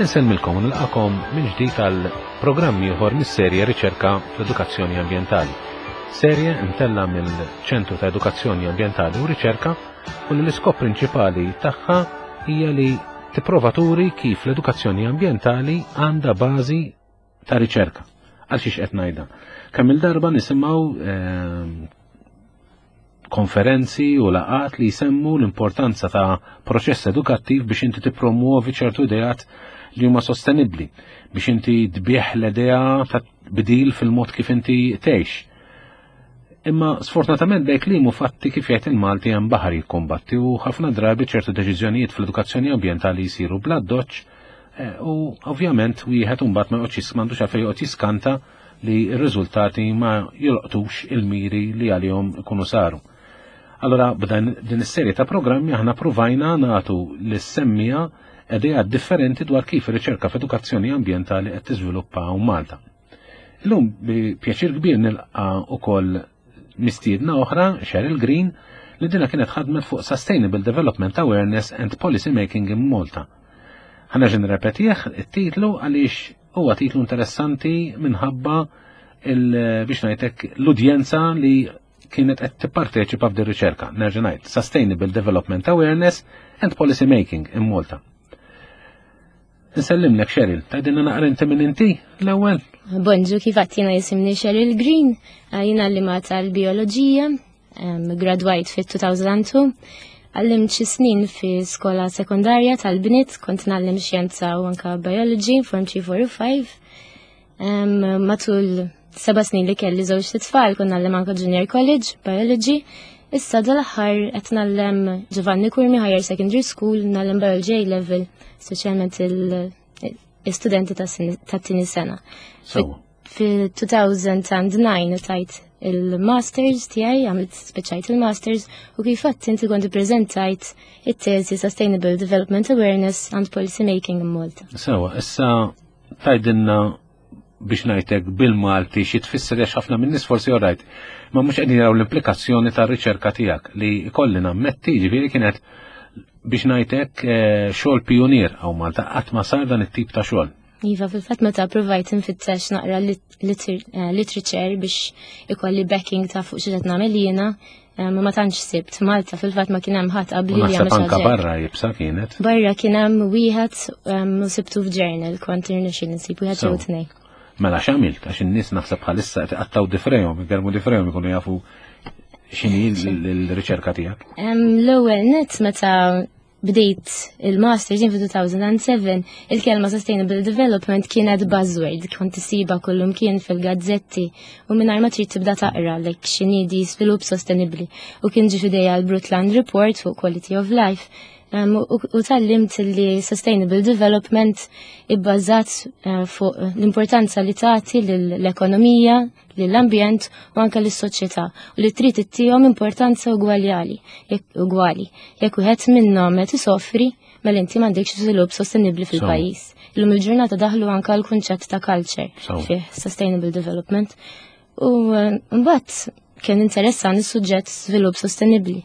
Insellmilkom u nilqakom minn ġdid għal programm ieħor mis-serje Riċerka fl-Edukazzjoni Ambjentali. Serje mtella mill-Ċentru ta' Edukazzjoni Ambjentali u Riċerka u li l-iskop prinċipali tagħha hija li tipprova turi kif l-edukazzjoni ambjentali għandha bażi ta' riċerka. Għal xiex qed ngħidha. Kemm il-darba nisimgħu ehm, konferenzi u laqat li jsemmu l-importanza ta' proċess edukattiv biex inti tippromuovi ċertu ideat li huma sostenibbli, biex inti tbieħ l-idea ta' bdil fil-mod kif inti tgħix. Imma sfortunatament bej kliem u fatti kif jgħid il-Malti hemm baħar jikkombatti u ħafna drabi ċertu deċiżjonijiet fl-edukazzjoni ambjentali jsiru bla doċċ eh, u ovvjament wieħed imbagħad ma joqgħodx m'għandux għalfejn joqgħod jiskanta li r-riżultati ma jolqtux il-miri li għalihom ikunu saru. Allora b'dan din is-serje ta' programmi aħna pruvajna nagħtu lis-semmija idea differenti dwar kif ir-riċerka f'edukazzjoni ambjentali qed tiżviluppa hawn Malta. Illum bi pjaċir kbir nilqa' ukoll mistiedna oħra, Cheryl Green, li dina kienet ħadmet fuq Sustainable Development Awareness and Policy Making in Malta. Ħana ġen repetih it-titlu għaliex huwa titlu interessanti minħabba biex ngħidlek l-udjenza li kienet qed tipparteċipa f'din riċerka. Nerġa' ngħid Sustainable Development Awareness and Policy Making in Malta. Nsellimlek Cheryl, tgħidilna naqra inti minn inti l-ewwel. Bonġu kif għadt jiena jisimni Cheryl Green, jiena għallima tal-bioloġija, gradwajt fit-2002, għallimt xi snin fi skola sekondarja tal-bniet, kont ngħallem xjenza u anka biology, form 3, 4 u 5. Matul seba' snin li kelli żewġ tfal kont ngħallem anka junior college, biology. Issa dal-aħħar qed ngħallem Giovanni Curmi Higher Secondary School, ngħallem biology A level, speċjalment il-studenti tat-tieni sena. Fi-2009 tajt il-masters tiegħi, għamilt speċajt il-masters u kif għadt inti kont ippreżentajt it-teżi Sustainable Development Awareness and Policy Making in Malta. Sewa, issa tgħidilna biex ngħidlek bil-Malti xi tfisser għax ħafna min-nies forsi orajt, ma mhux qegħdin jaraw l-implikazzjoni tar-riċerka tiegħek li jkolli nammetti ġifieri kienet biex ngħidlek eh, xogħol pionier hawn Malta qatt ma sar dan it-tip ta' xogħol. Iva, fil-fatt meta provajt nfittex naqra eh, literature biex ikolli backing ta' fuq xi qed nagħmel jiena, eh, ma tantx sibt Malta fil-fatt ma kien hemm ħadd qabli li għamel anka barra jibsa kienet. Barra kien hemm wieħed u sibtu f'journal kont irnexxi nsib wieħed jew tnejn. Mela x'għamilt għax in-nies naħseb bħalissa qed iqattaw difrejhom, igermu difrejhom ikunu jafu x'inhi l-riċerka tiegħek. L-ewwel net meta bdejt il-masters jien fi-2007, il-kelma Sustainable Development kienet buzzword, kont isiba kullum kien fil-gazzetti u mingħajr ma trid tibda taqra lek x'inhi di svilupp sostenibbli. U kien ġie f'idejja l-Brundtland Report fuq Quality of Life u tgħallimt li Sustainable Development ibbażat eh, fuq l-importanza li tagħti l-ekonomija, lill-ambjent u anke lis-soċjetà u li trid ittihom importanza ugwaljali, ugwali. Jekk wieħed minnhom qed isofri, mela inti m'għandekx żvilupp sostenibbli fil-pajjiż. Illum il-ġurnata daħlu anke l-kunċett ta' culture fih sustainable development. U eh, mbagħad kien interessan is-suġġett żvilupp sostenibbli.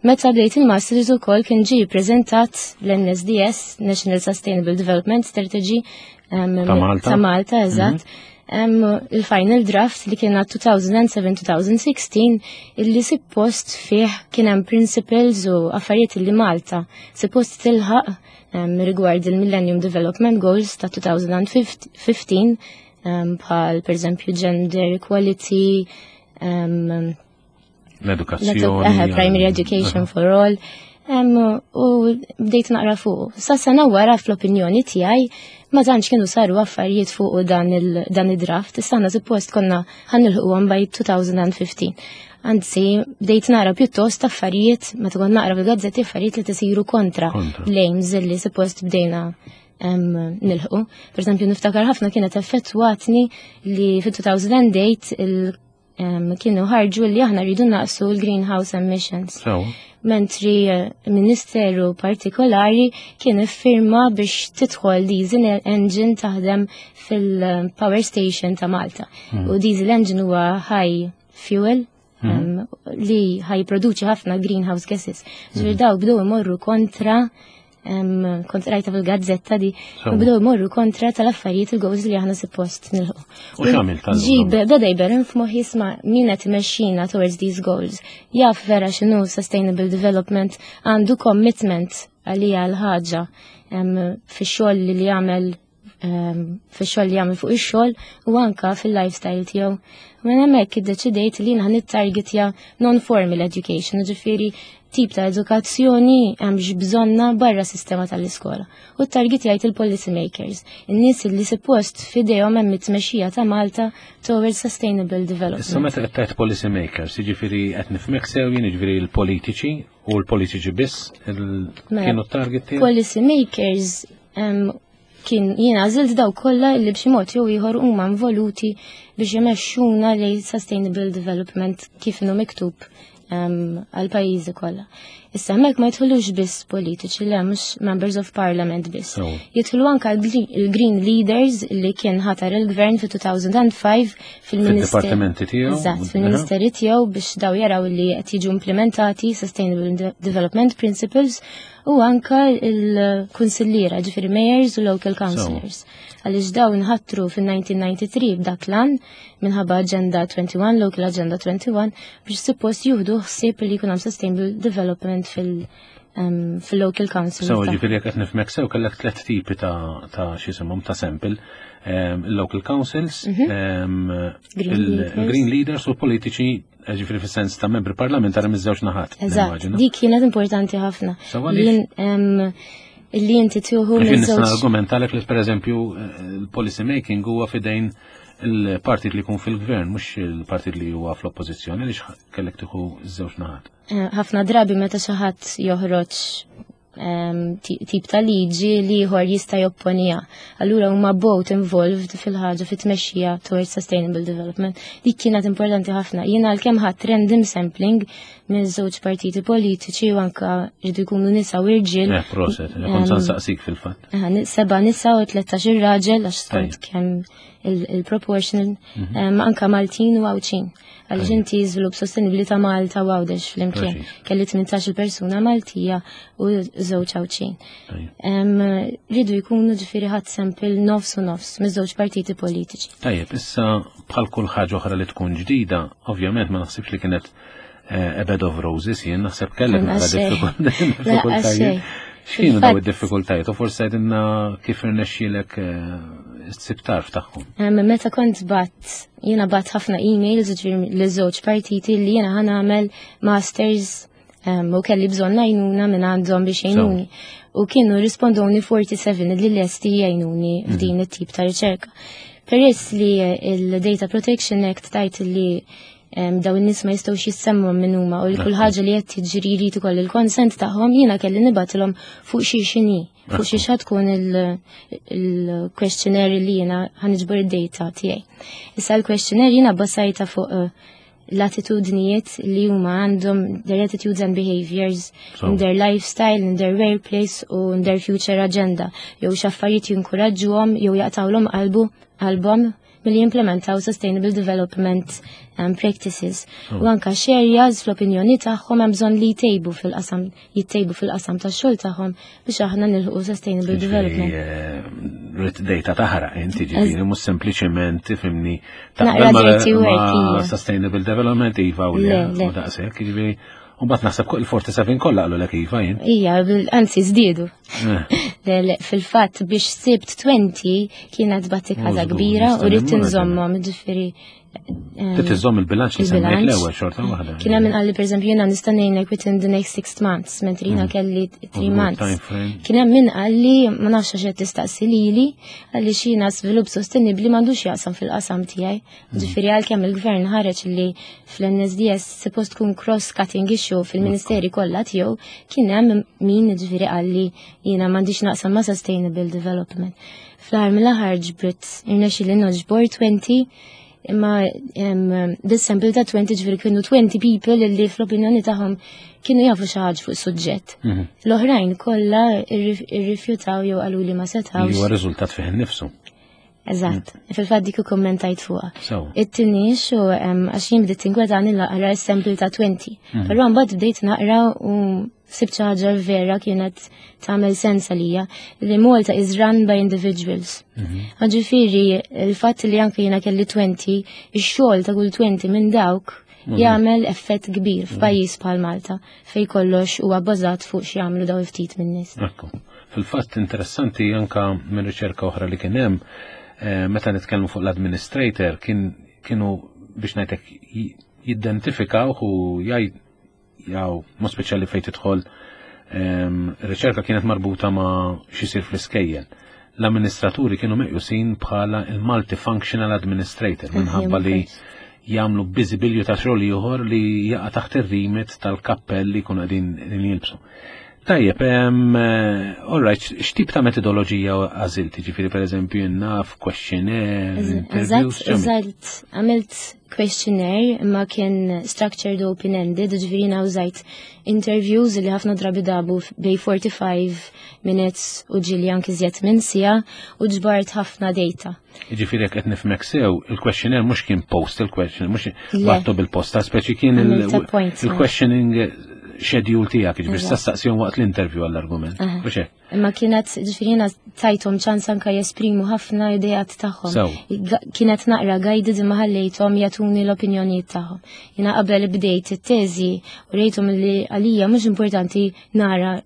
Meta bdejt il-masters ukoll kien ġie ppreżentat l-NSDS, National Sustainable Development Strategy, ta' Malta. Ta' Malta, eżatt. Mhm. Il-final draft li kien 2007-2016 illi suppost fih kien hemm principles u affarijiet li Malta suppost tilħaq rigward il-Millennium Development Goals ta' 2015 bħal per eżempju gender equality, l-edukazzjoni. Primary education for all. U bdejt naqra fuq. Sa sena wara fl-opinjoni tiegħi ma tantx kienu saru affarijiet fuq dan id-draft. Issa aħna suppost konna ħanilħuhom by 2015. Anzi, bdejt nara pjuttost affarijiet, meta kont naqra fil-gazzetti affarijiet li tisiru kontra l-aims li suppost bdejna nilħu. Per eżempju, niftakar ħafna kienet effettwatni li fit-2008 il kienu ħarġu li aħna rridu naqsu l-greenhouse emissions. Mentri eh, ministeru partikolari kien iffirma biex tidħol diesel engine taħdem fil-power station ta' Malta. Hmm. U diesel engine huwa high fuel hmm. li ħaj produċi ħafna greenhouse gases. Ġifieri hmm. daw bdew imorru kontra Kont rajta fil-gazzetta di, u bdew imorru kontra tal-affarijiet il-goals li aħna suppost nilħu. U x'għamilt tal Ġi, beda jberren f'moħħi isma' min qed imexxina towards these goals. Jaf vera x'inhu sustainable development, għandu commitment għalija l-ħaġa fix-xogħol li jagħmel fix-xogħol li jagħmel fuq ix-xogħol u anka fil-lifestyle tiegħu. Minn hemmhekk iddeċidejt li jiena nittargetja non-formal education, ġifieri tip ta' edukazzjoni hemm bżonna barra sistema tal-iskola. U targetjajt il-policy makers, in-nies li suppost f'idejhom hemm it-tmexxija ta' Malta towards sustainable development. Issa meta qed tgħid policy makers, jiġifieri qed nifhmek sew jien jiġifieri l-politiċi u l-politiċi biss Mela, kienu t-target tiegħek? Policy makers kien jiena għażilt daw kollha li b'xi mod jew ieħor huma involuti biex imexxuna lejn sustainable development kif inhu miktub għal pajjiżi kollha. Issa hemmhekk ma jidħlux biss politiċi, le mhux members of parliament biss. Jidħlu anka l-Green Leaders li kien ħatar il-gvern fi 2005 fil-ministeri. Fil-dipartimenti tiegħu. Eżatt, fil-ministeri tiegħu biex daw jaraw li qed jiġu implementati Sustainable Development Principles u anka il-kunsilliera, ġifieri mayors u local councillors. Għaliex daw nħatru fil-1993 b'dak l-an minħabba Agenda 21, Local Agenda 21, biex suppost juhdu ħsieb li jkun hemm sustainable development fil-local council. So, ġifieri jekk qed nifhmek sew kellek tliet tipi ta' x'isimhom ta' sample. Il-local councils, Green il-green leaders. leaders u politiċi, ġifieri fis-sens ta' membri parlamentari miż-żewġ naħat. Eżatt, nimmaġina. dik kienet importanti ħafna. So, għaliex? Li inti tieħu Għax jien nista' miż-żewġ argumentalek li pereżempju il-policy making huwa fidejn il-partit li jkun fil-gvern, mhux il-partit li huwa fl-oppożizzjoni, li kellek tieħu żewġ naħat. Ħafna drabi meta xi ħadd joħroġ tip ta' liġi li ieħor jista' jopponija. Allura huma both involved fil-ħaġa fit-tmexxija towards sustainable development. Dik kienet importanti ħafna. Jiena għalkemm ħadd random sampling minn żewġ partiti politiċi u anka rridu jkunu nisa u irġiel. Proset, kont sa nsaqsik fil-fatt. 7 nisa u 13 raġel għax skont kemm il-proportional, anka Maltin u Għawdxin. Għaliex inti żvilupp sostenibli ta' Malta u Għawdex flimkien. Kelli 18 persuna Maltija u żewġ Għawdxin. Ridu jkunu ġifieri ħadd sample nofs u nofs miż-żewġ partiti politiċi. Tajjeb, issa bħal kull ħaġa oħra li tkun ġdida, ovvjament ma naħsibx li kienet a bed of roses, jien naħseb kellek Lanqas naqra xejn. diffikultajiet. Lanqas xejn. X'kienu daw Fil-fatt id-diffikultajiet? U forsi għedinna kif irnexxielek ssib tarf tagħhom. Meta kont bat, jiena bat ħafna emails ġifieri li żewġ partiti li jiena ħa nagħmel masters u kelli bżonn għajnuna minn għandhom biex jgħinuni. U kienu rispondoni 47 li lesti jgħinuni f'din it-tip ta' riċerka. Peress li il-Data Protection Act tajt li daw in-nies ma jistgħux jissemmu minn huma u li kull ħaġa li qed tiġri jrid ikoll il-konsent tagħhom, jiena kelli nibatilhom fuq xi xini, fuq xi xa tkun il-questionnaire li jiena ħa niġbor id-data tiegħi. Issa l-questionnaire jiena basajta fuq l-attitudnijiet li huma għandhom, their attitudes and behaviors in their lifestyle, in their workplace u in their future agenda. Jew x'affarijiet jinkuraġġuhom jew jaqtawlhom qalbhom milli jimplementaw sustainable development practices. U anka x'areas fl-opinjoni tagħhom hemm bżonn li jtejbu fil-qasam, jittejbu fil-qasam tax-xogħol tagħhom biex aħna nilħqu sustainable development. Rrid data taħraq, inti ġifieri mhux sempliċement tifhimni Naqra taqbel dirty work, ma' ija. sustainable development iva u le, Le, le. u daqshekk, ġifieri u mbagħad naħseb il-47 kollha qalu lek iva jien. Ija, anzi żdiedu. Le, le, fil-fatt biex sibt 20 kienet battikata Żgur, kbira u nista' rrid nimmaġina. inżommhom, ġifieri, Trid iżomm il-bilanċ li semmejt il-bilanċ. l-ewwel xorta waħda. Kien hemm min qalli pereżempju jiena nista' ngħinek within the next 6 months, mentri jiena kelli 3 Żgur, months. time frame. Kien hemm min qalli ma nafx għax qed tistaqsi lili, qalli xi żvilupp sostenibbli m'għandux jaqsam fil-qasam tiegħi. Ġifieri għalkemm il-gvern ħareġ li fl-NSDS suppost tkun cross-cutting issue fil-ministeri kollha tiegħu, kien hemm min ġifieri qalli jiena m'għandix naqsam ma' sustainable development. Fl-aħħar mill-aħħar ġbrit irnexxieli noġbor 20, imma this sample ta' 20 ġifieri kienu 20 people li fl-opinjoni tagħhom kienu jafu xi ħaġa fuq suġġett. L-oħrajn kollha irrifjutaw jew qalu li ma setgħux. Li huwa riżultat fih innifsu. Eżatt, fil-fatt dik ikkummentajt fuqha. It-tieni xu għax jien bdiet tinkwetani naqra s-sample ta' 20. Però mbagħad bdejt naqra u sibt xi ħaġa vera kienet tagħmel sens għalija li Malta is run by individuals. Ġifieri il-fatt li anke jiena kelli 20, ix-xogħol ta' kull 20 minn dawk jagħmel effett kbir f'pajjiż bħal Malta fej kollox huwa bbażat fuq x'jagħmlu daw ftit min-nies. Ekku. Fil-fatt interessanti anka minn riċerka oħra li kien hemm, meta nitkellmu fuq l-administrator kienu biex ngħidlek jidentifikaw u jaw, mod speċjali fejn tidħol riċerka kienet marbuta ma' x'isir fl-iskejjel. L-amministraturi kienu meqjusin bħala il-multifunctional administrator minħabba li jagħmlu biżibilju ta' xogħol ieħor li jaqa' taħt ir-remit tal-kappell li jkunu qegħdin jilbsu. Tajjeb, all right, x'tip ta' metodoloġija għażilt? Ġifieri pereżempju naf questionnaire, interviews, Eżatt, eżatt, għamilt questionnaire imma kien structured open-ended, ġifieri jiena użajt interviews li ħafna drabi dabu bej 45 minutes u ġieli anki iżjed minn siegħa u ġbart ħafna data. Ġifieri jekk qed nifhmek sew, il-questionnaire mhux kien post, il-questionnaire mhux Le. battu bil-posta, speċi kien Għamilt appointment. il-questioning schedule tiegħek, ġifieri saqsihom waqt l-interview għall-argument. Mhux hekk? Imma kienet, ġifieri jiena tajthom ċans anka jesprimu ħafna ideat tagħhom. Kienet naqra guided imma ħallejthom jagħtuni l-opinjonijiet tagħhom. Jiena qabel bdejt it-teżi u rejthom li għalija mhux importanti nara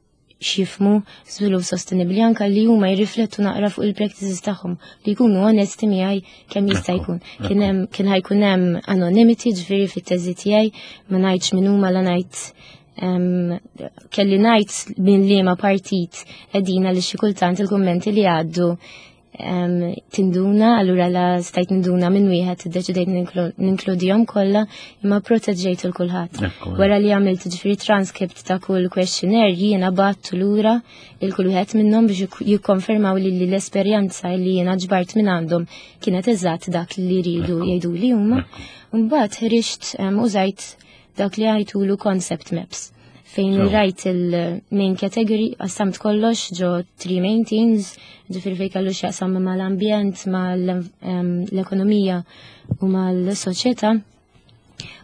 x'jifhmu żvilupp sostenibbli, anka li huma jirriflettu naqra fuq il-practices tagħhom, li jkunu onesti miegħi kemm jista' jkun. Kien ħajkun hemm anonymity, ġifieri fit-teżi tiegħi ma ngħidx min huma, la ngħid, kelli ngħid minn liema partit qegħdin, għaliex xi kultant il-kummenti li għaddu tinduna, allura la stajt ninduna minn wieħed iddeċidejt ninkludihom kollha, imma proteġġejt il kulħadd. Wara li għamilt ġifieri transcript ta' kull questionnaire, jiena battu lura il kull wieħed minnhom biex jikkonfermaw li l-esperjenza li jiena ġbart minn għandhom kienet eżatt dak li jridu jgħidu li huma. Mbagħad ħriġt użajt dak li għajtulu concept maps, fejn rajt il-main category, qassamt kollox ġo 3 main themes, ġifieri fejn kellu x'jaqsam mal-ambjent, mal-ekonomija u mal-soċjetà.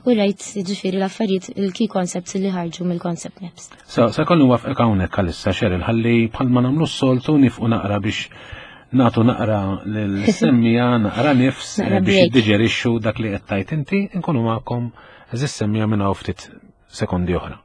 U rajt ġifieri l-affarijiet, il-key concepts li ħarġu mill-concept maps. Sa kollu wafqek hawnhekk għalissa, Cheryl, ħalli bħalma nagħmlu s-soltu nifqu naqra biex nagħtu naqra l-semmija, naqra nifs, Naqra biex break. jiddiġerixxu dak li qed tajt inti, nkunu magħkom eżis semmija minn hawn ftit sekondi oħra.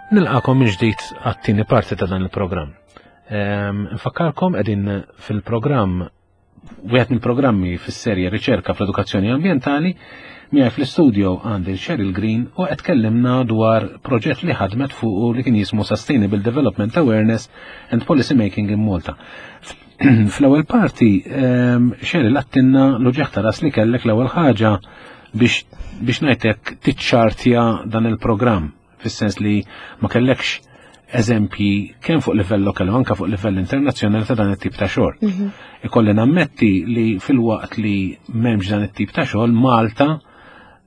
Nilqakom minn ġdid għat-tieni parti ta' dan il-programm. Nfakkarkom qegħdin fil-programm, wieħed mill-programmi fis-serje Riċerka fl-Edukazzjoni Ambjentali, miegħi fl-istudio għandi Cheryl Green u qed tkellimna dwar proġett li ħadmet fuq li kien jismu Sustainable Development Awareness and Policy Making in Malta. Fl-ewwel parti, Cheryl għattinna l-uġigħ ta' ras li kellek l-ewwel ħaġa biex ngħidlek tiċċartja dan il-programm, fis-sens li ma kellekx eżempji kemm fuq livell lokali u anke fuq livell internazzjonali ta' dan it-tip ta' xogħol. Ikolli nammetti li fil-waqt li m'hemmx dan it-tip ta' xogħol, Malta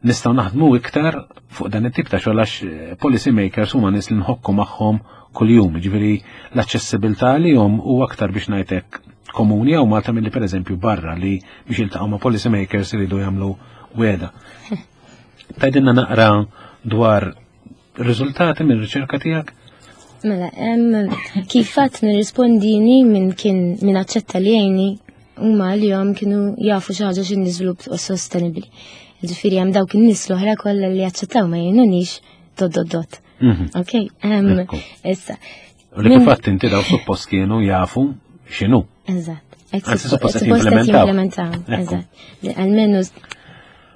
nistgħu naħdmu iktar fuq dan it-tip ta' xogħol għax policy makers huma nies li nħokku magħhom kuljum, jiġifieri l-aċċessibilità għalihom huwa aktar biex ngħidlek komuni hawn Malta milli pereżempju barra li biex jiltaqgħu ma' policy makers iridu jagħmlu weda. Tgħidilna naqra dwar riżultati minn riċerka tiegħek? Mela, kif fatt nirrispondini minn kien min aċċetta li jgħinni huma li jom kienu jafu xi ħaġa x'inhi żvilupp sostenibbli. Ġifieri hemm dawk in-nies l-oħra kollha li aċċettaw ma jgħinunix dot dot dot. Ok, issa. U li kif fatt inti daw suppost kienu jafu x'inhu. Eżatt. Anzi, suppost qed Suppost qed jimplementaw. jimplementaw, eżatt. Li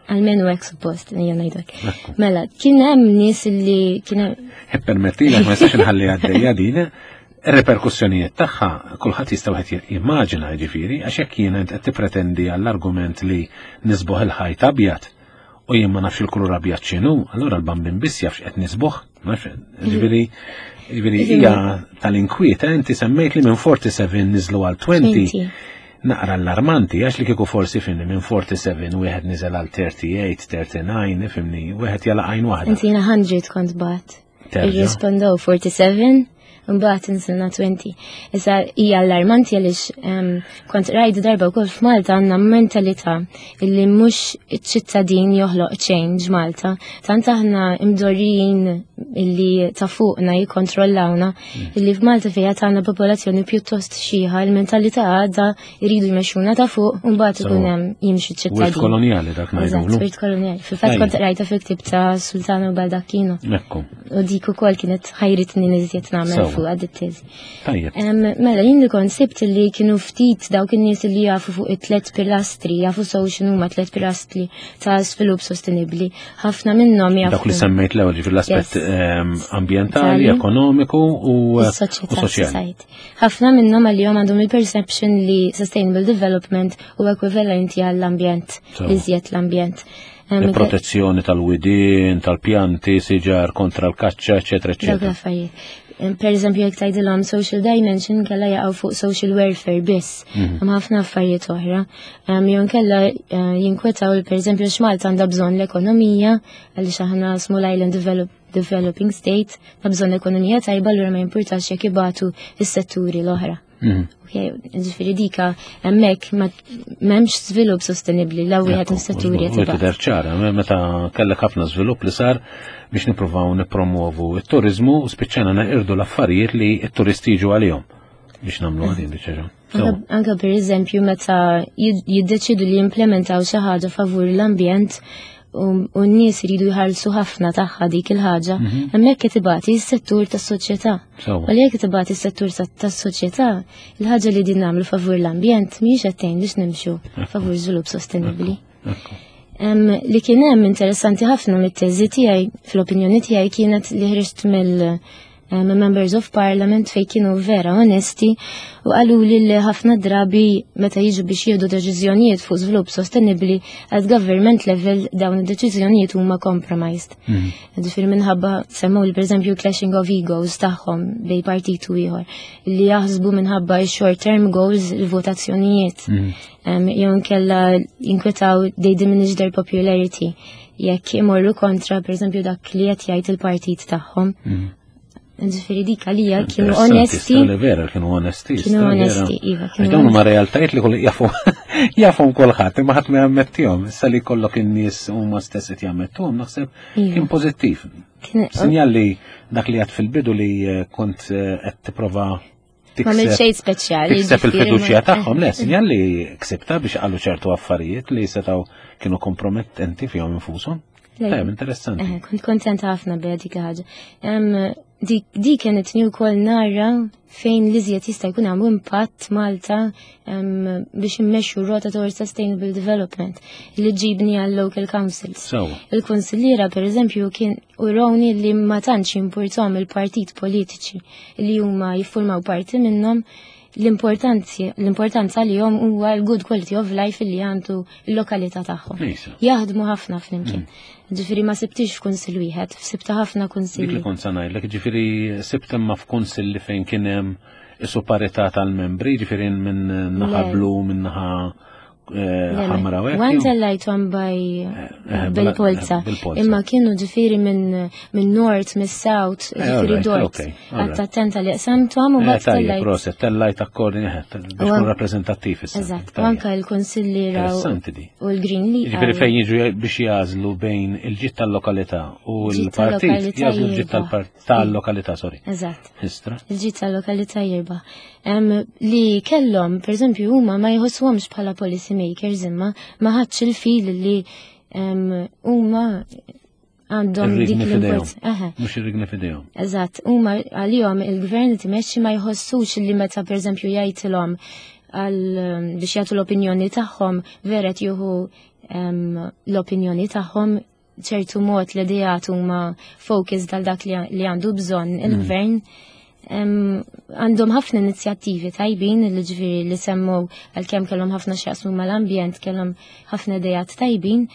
almenu hekk suppost, ejja ngħidlek. Mela, kien hemm nies li kien hemm Permettilek, ma nistax inħalli għaddejja din. Ir-reperkussjonijiet tagħha kulħadd jista' wieħed jimmaġina jiġifieri għax jekk jiena int qed tippretendi għall-argument li nisbuħ il-ħajt abjad u jien ma nafx il-kulur abjad x'inhu, allura l-bambin biss jaf x'qed nisbuħ, nafx, ġifieri ġifieri hija tal-inkwiet, eh, inti semmejt li minn 47 niżlu għal 20. Naqra allarmanti, għax li kieku forsi fimni minn 47 wieħed niżel għal 38, 39, fimni, wieħed jala għajn waħda. Inti jiena 100 kont bat. Irrispondew 47, mbagħad insilna 20. Issa hija allarmanti għaliex kont rajt darba wkoll f'Malta għandna mentalità illi mhux iċ-ċittadin joħloq change Malta. Tant aħna imdorrijin illi ta' fuqna jikkontrollawna illi f'Malta fejn għandna popolazzjoni pjuttost xiħa, il-mentalità għadha jridu jmexxuna ta' fuq u mbagħad ikun hemm jimxi ċittadin. Wirt kolonjali dak ngħidulu. Wirt kolonjali. Fil-fatt kont qrajta fil-ktieb ta' Sultano Baldacchino. Ekku. U dik ukoll kienet ħajritni niżjed nagħmel fuq għad it-teżi. Tajjeb. Mela jien li kont sibt li kienu ftit dawk in-nies li jafu fuq it-tlet pilastri, jafu sew x'inhuma tlet pilastri ta' svilupp sostenibbli. Ħafna minnhom jafu. Dawk li semmejt l-ewwel ġifier l-aspett ambjentali, ekonomiku u eh, soċjali. Ħafna minnhom għalihom għandhom il-perception li sustainable development u ekwivalenti għall-ambjent, iżjed l-ambjent. Il-protezzjoni tal-widien, tal-pjanti, siġar kontra l-kaċċa, eċetera, eċetera. Per eżempju, jekk tgħidilhom social dimension kella jaqgħu fuq social welfare biss. Mhm. Hemm ħafna affarijiet oħra. Jew nkella eh, jinkwetaw per eżempju x'Malta għandha bżonn l-ekonomija għaliex aħna small island develop, developing state, ta' bżonn ekonomija tajba allura ma jimpurtax jekk ibatu is-setturi l-oħra. Mhm. Ġifieri dika hemmhekk m'hemmx żvilupp sostenibbli la wieħed mis-setturi qed Tidher ċara, meta kellek ħafna żvilupp li sar biex nippruvaw nippromovu t-turiżmu u spiċċana neqirdu l-affarijiet li t-turisti jiġu għalihom biex nagħmlu għadin biċċa. Anka per eżempju meta jiddeċidu li jimplementaw xi ħaġa favur l-ambjent u n-nies iridu jħallsu ħafna tagħha dik il-ħaġa, mhm. hemmhekk qed ibati s-settur tas-soċjetà. U li jekk tibati s-settur tas-soċjetà, il-ħaġa li din nagħmlu favur l-ambjent mhijiex qed tgħin biex nimxu favur żvilupp sostenibbli. Li kien hemm interessanti ħafna mit-teżi tiegħi fl-opinjoni tiegħi kienet li ħriġt mill members of parliament fej kienu vera onesti u qalu li li ħafna drabi meta jiġu biex jieħdu deċiżjonijiet fuq żvilupp sostenibbli at government level dawn id-deċiżjonijiet huma compromised. Mm. Ġifieri minħabba semmew li pereżempju clashing of egos tagħhom bej partit u ieħor li jaħsbu minħabba short term goals il-votazzjonijiet. Mm. Jew inkella jinkwetaw they diminish their popularity jekk imorru kontra pereżempju dak li qed jgħid il-partit tagħhom. Mm. Ġifieri dik għalija kienu onesti. Li vera kienu onesti. Kienu onesti, iva. Għax dawn huma realtajiet li kull jafu jafhom kulħadd, imma ħadd ma jammettihom. Issa li kollok in-nies huma stess qed jammettuhom naħseb iva. kien pożittiv. Sinjal li dak li għad fil-bidu li eh, kont eh, qed tipprova Ma minn xejn speċjali. Tikseb il-fiduċja tagħhom, le, sinjal li ksibta biex qalu ċertu affarijiet li setgħu kienu kompromettenti fihom infushom. Tajjeb, interessanti. Eh, kont kontenta ħafna biha dik ħaġa. Di kienet ni wkoll nara fejn li żjed jista' jkun hemm impatt Malta biex immexxu rota towards sustainable development li ġibni għal local councils. Il-kunsilliera pereżempju kien urawni li ma tantx jimpurtom il-partit politiċi li huma jiffurmaw parti minnhom l-importanza li jom huwa l-good quality of life li għandu l-lokalità tagħhom. Jaħdmu ħafna flimkien. Mm. Ġifieri ma sibtix f'kunsill wieħed, sibta ħafna kunsilli. Dik li kont sa ngħidlek, ġifieri sibt imma f'kunsill li fejn kien hemm isu parità tal-membri, ġifieri minn naħa blu, minn naħa Eh, ħamra u Għan tellajtom baj eh, eh, bil-polza. Imma kienu ġifiri minn nord, minn south, ġifiri dort. Għatta attenta li qsamtom u bat tellajt. Proset, tellajt akkordin, biex kun rappresentattiv issa. Eżatt, u anka l-konsilli u l-Green League. Ġifiri fejn jiġu biex jażlu bejn il-ġit tal-lokalità u l-partit, jażlu l-ġit tal-lokalità, sorry. Eżatt. Istra. Il-ġit tal-lokalità jirba. Li kellhom, per eżempju, huma ma jħossuhomx bħala policy makers imma ma ħadx il-fil li huma għandhom dik l-importanza. Mhux ir-rigni fidejhom. Eżatt, huma għalihom il-gvern li timexxi ma jħossux li meta pereżempju jgħidilhom għal biex jagħtu l-opinjoni tagħhom vera jieħu l-opinjoni tagħhom ċertu mod l-idejat huma focus dal dak li għandu bżonn mm. il-gvern. Għandhom ħafna inizjattivi tajbin li ġifieri li semmu għalkemm kellhom ħafna x'jaqsmu mal-ambjent, kellhom ħafna idejat tajbin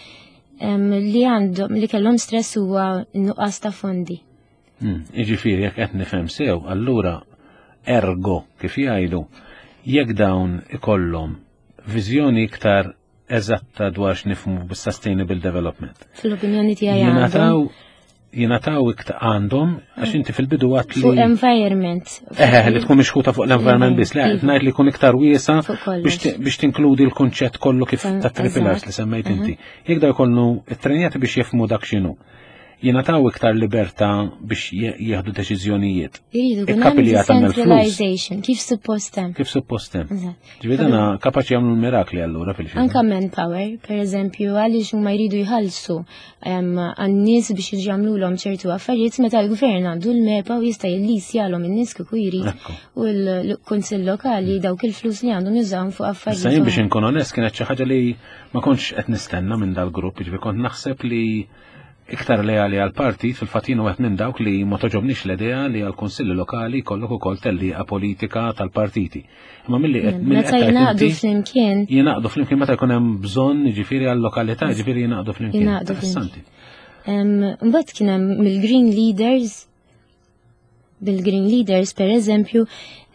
li għandhom li kellhom stress huwa nuqqas ta' fondi. Jiġifieri jekk qed nifhem sew, allura ergo kif jgħidu, jekk dawn ikollhom viżjoni iktar eżatta dwar x'nifhmu bis-sustainable development. Fil-opinjoni tiegħi jingħataw jingħataw iktar għandhom għax inti fil-bidu għat li fuq environment. Eħe, li tkun mixħuta fuq l-environment biss, le qed ngħid li jkun iktar wiesa biex tinkludi l-kunċett kollu kif ta' three pillars li semmejt inti. Jekk da jkollu it-trenjati biex jifhmu dak x'inhu jingħataw iktar libertà biex jieħdu deċiżjonijiet. Iridu jkun hemm decentralization, kif suppost hemm. Kif suppost hemm. Ġifieri dana kapaċi jagħmlu l-mirakli allura fil Anka manpower, per eżempju, għaliex huma jridu jħallsu għan-nies biex jiġu jagħmluhom ċertu affarijiet meta l-gvern għandu l-MEPA u jista' jillisjalhom in-nies kieku jrid u l-kunsill lokali dawk il-flus li għandhom jużawhom fuq affarijiet. Issa jien biex inkun onest kienet xi ħaġa li ma kontx qed nistenna minn dal-grupp, jiġifieri kont naħseb li iktar leali għal partit fil-fatt jien wieħed minn dawk li ma toġobniex l-idea li għal kunsilli lokali jkollok ukoll tellieqa politika tal-partiti. Imma milli qed meta jingħaqdu flimkien. Jingħaqdu flimkien meta jkun hemm bżonn jiġifieri għal lokalità, jiġifieri jingħaqdu flimkien. Jingħaqdu flimkien. Mbagħad kien hemm mill-Green Leaders bil-Green Leaders per eżempju,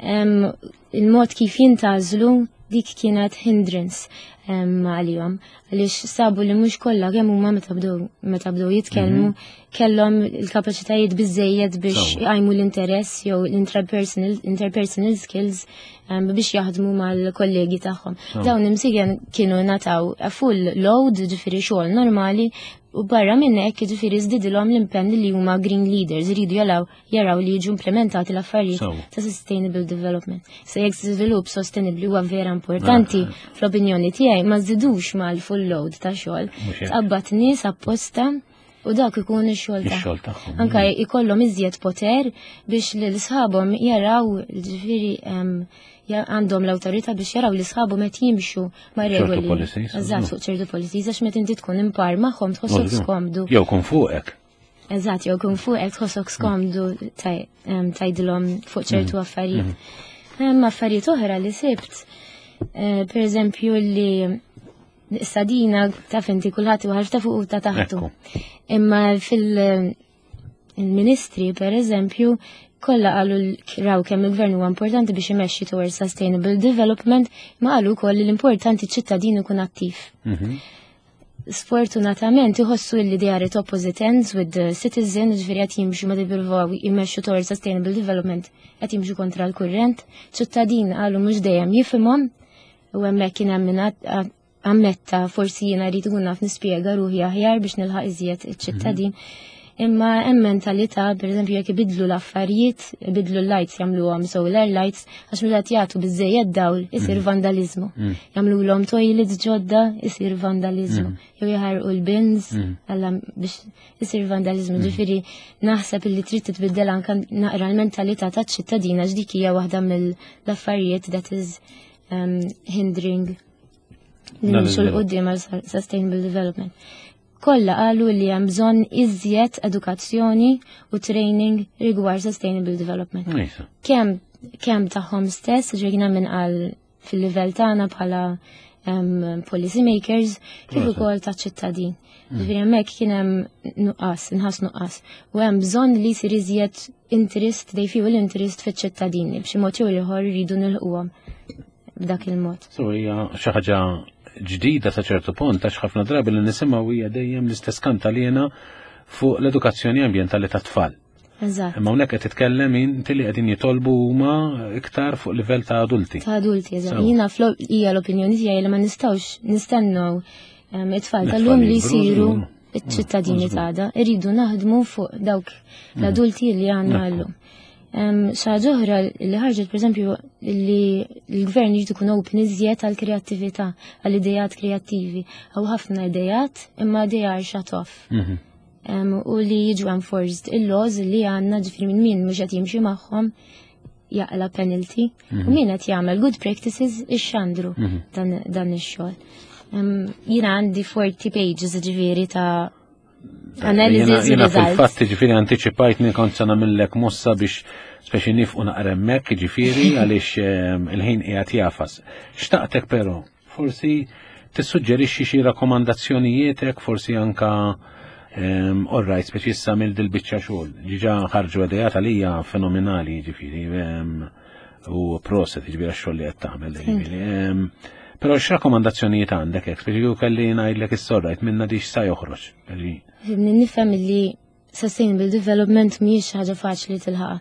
il-mod kif jintgħażlu dik kienet hindrance għalihom għaliex sabu li mhux kollha kemm huma meta bdew meta bdew jitkellmu mhm. kellhom il-kapaċitajiet biżejjed biex jqajmu l-interess jew l-interpersonal interpersonal skills biex jaħdmu mal-kollegi tagħhom. Dawn imsigen kienu nataw full load, ġifieri xogħol normali, U barra minn hekk, jiġifieri żdidilhom l-impenn li huma green leaders, iridu jalaw jaraw li jiġu implementati l-affarijiet ta' sustainable development. Se jekk żvilupp sostenibbli huwa vera importanti, ah, ah. fl-opinjoni tiegħi ma żidux mal-full load ta' xogħol. Tqabbad nies apposta u dak ikun ix-xogħol tagħhom. Anka ikollhom iżjed poter biex lil sħabhom jaraw ġifieri għandhom l-awtorità biex jaraw li sħabhom qed jimxu ma' regoli. Eżatt, fuq ċertu policies għax meta inti tkun impar magħhom tħossok skomdu. Jew kun fuqek. Eżatt, jew kun fuqek tħossok skomdu tgħidilhom fuq ċertu mm. affarijiet. Mm. Hemm affarijiet oħra li sibt, eh, per eżempju li sadina taf inti kulħadd iwaħħal ta' fuq u ta' taħtu. Imma fil- Il-ministri, per eżempju, kollha qalu raw kemm il-gvern huwa importanti biex imexxi towards sustainable development, ma qalu wkoll li l-importanti ċittadin ikun attiv. Mhm. Sfortunatament iħossu li they are at opposite ends with the citizen, ġifieri qed jimxu ma jippruvaw jmexxu towards sustainable development, qed jimxu kontra l-kurrent. Ċittadin qalu mhux dejjem jifhimhom u hemmhekk kien hemm min ammetta forsi jiena rrid ikun naf nispjega ruħi aħjar biex nilħaq iżjed iċ-ċittadin. Mhm. Imma hemm mentalità, pereżempju jekk ibidlu l-affarijiet, ibidlu l-lights jagħmluhom solar lights, għax meta jagħtu biżejjed dawl isir mhm. vandalizmu. Mhm. Jagħmluhom toilets ġodda isir vandalizmu. Jew jaħarqu l-bins alla biex isir vandalizmu. Ġifieri naħseb illi trid titbiddel anke naqra l-mentalità taċ-ċittadina ġdik hija waħda mill-affarijiet that is um, hindering li nimxu l-qoddim għal sustainable development. Kollha qalu li hemm bżonn iżjed edukazzjoni u training rigward sustainable development. Kemm kemm tagħhom stess, ġejna minn qal fil-livell tagħna bħala um, policy makers, kif ukoll ta' ċittadin. Mm. Ġifieri hemmhekk kien hemm nuqqas, inħass nuqqas. U hemm bżonn li jsir iżjed interest, they feel interest fiċ-ċittadini b'xi mod jew ieħor jridu nilħquhom b'dak il-mod. So hija xi ħaġa ġdida sa ċertu punt għax ħafna drabi li nisimgħu hija dejjem l-istess kantalena fuq l-edukazzjoni ambjentali tat-tfal. Eżatt. Imma hawnhekk qed titkellem inti li qegħdin jitolbu huma iktar fuq livell ta' adulti. Ta' adulti, eżatt. Jiena hija l-opinjoni tiegħi li ma nistgħux nistennew ehm, it-tfal tal-lum li jsiru iċ-ċittadini ta' Irridu naħdmu fuq dawk mm. l-adulti li għandna llum. Xaġa oħra li ħarġet pereżempju li l-gvern jrid ikun open iżjed għal kreattività, għal idejat kreattivi. Hawn ħafna idejat imma they are shut off. Mhm. U li jiġu enforced il-laws li għandna ġifieri minn min mhux qed jimxi magħhom jaqla penalty u mhm. min qed jagħmel good practices ixxandru mhm. dan ix-xogħol. Jiena għandi 40 pages ġifieri ta' Analysis Jena fil-fatt ġifieri anticipajt li kont se nagħmillek mossa biex Speċi nifqu naqra hemmhekk, jiġifieri għaliex il-ħin qiegħed jafas. Xtaqtek però, forsi tissuġġerixxi xi rakkomandazzjonijiet forsi anka all right, speċi issa mill dil-biċċa xogħol. Ġiġa ħarġu idejat għalija fenomenali, jiġifieri, u proset, jiġifieri għax-xogħol li qed tagħmel, jiġifieri. Però x'rakkomandazzjonijiet għandek hekk, speċi kieku kelli ngħidlek is-sorrajt minna dix sa joħroġ. Nifhem li sustainable development mhijiex ħaġa faċli tilħaqha.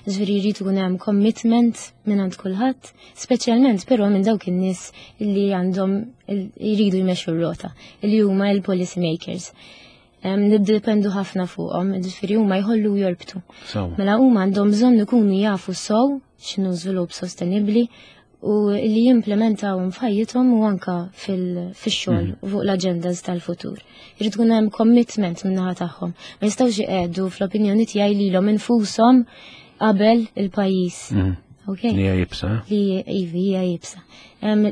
Ġifieri jrid ikun hemm commitment minn għand kulħadd, speċjalment però minn dawk in-nies li għandhom jridu jmexxu r-rota, li huma l-policy makers. Niddependu ħafna fuqhom, ġifieri huma jħollu jorbtu. Mela huma għandhom bżonn ikunu jafu sew x'inhu żvilupp sostenibbli u li jimplementawhom f'ħajjithom u anka fix-xogħol u fuq l-agendas tal-futur. Irid tkun hemm commitment min-naħa tagħhom. Ma jistgħux iqiegħdu fl-opinjoni tiegħi lilhom infushom qabel il-pajjiż. Ok. Li hija iebsa. Li ivi hija iebsa.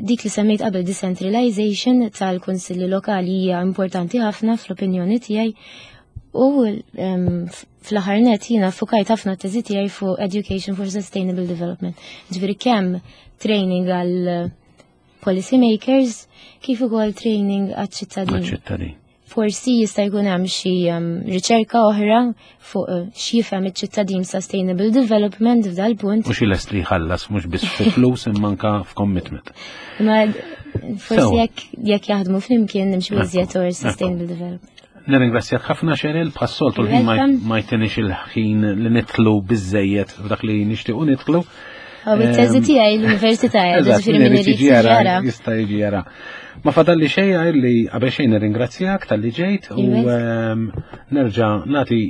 Dik li semmejt qabel decentralization tal-kunsilli lokali hija importanti ħafna fl-opinjoni tiegħi u fl-aħħar net jiena fukajt ħafna t-teżi tiegħi fuq Education for Sustainable Development. Ġifieri kemm training għal policy makers kif ukoll training għaċ-ċittadini. Għaċ-ċittadini. Forsi jista' jkun hemm xi riċerka oħra fuq x'jifhem iċ-ċittadin sustainable development f'dal punt. U xi lest li jħallas mhux biss fi flus imma anka f'commitment. Ma forsi jekk jaħdmu flimkien nimxu iżjed towards sustainable development. Nirringrazzjak ħafna Cheryl, bħas-soltu l-ħin ma jtinix il-ħin li nidħlu biżejjed f'dak li nixtiequ nidħlu. U it-teżi tiegħi l-università, ġifieri min irid jara. Jista' jiġi jara. Ma fadalli xejn li qabel xejn nirringrazzjak talli ġejt u nerġa' nagħti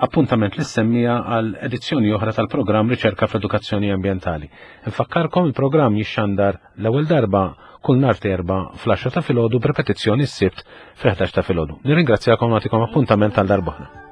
appuntament li semmija għal edizzjoni oħra tal-programm Riċerka fl-Edukazzjoni Ambjentali. Infakkarkom il-programm jixxandar l-ewwel darba kull nhar terba fl-10 ta' filgħodu b'repetizzjoni s-Sibt fl-11 ta' filgħodu. Nirringrazzjakom nagħtikom appuntament għal darb'oħra.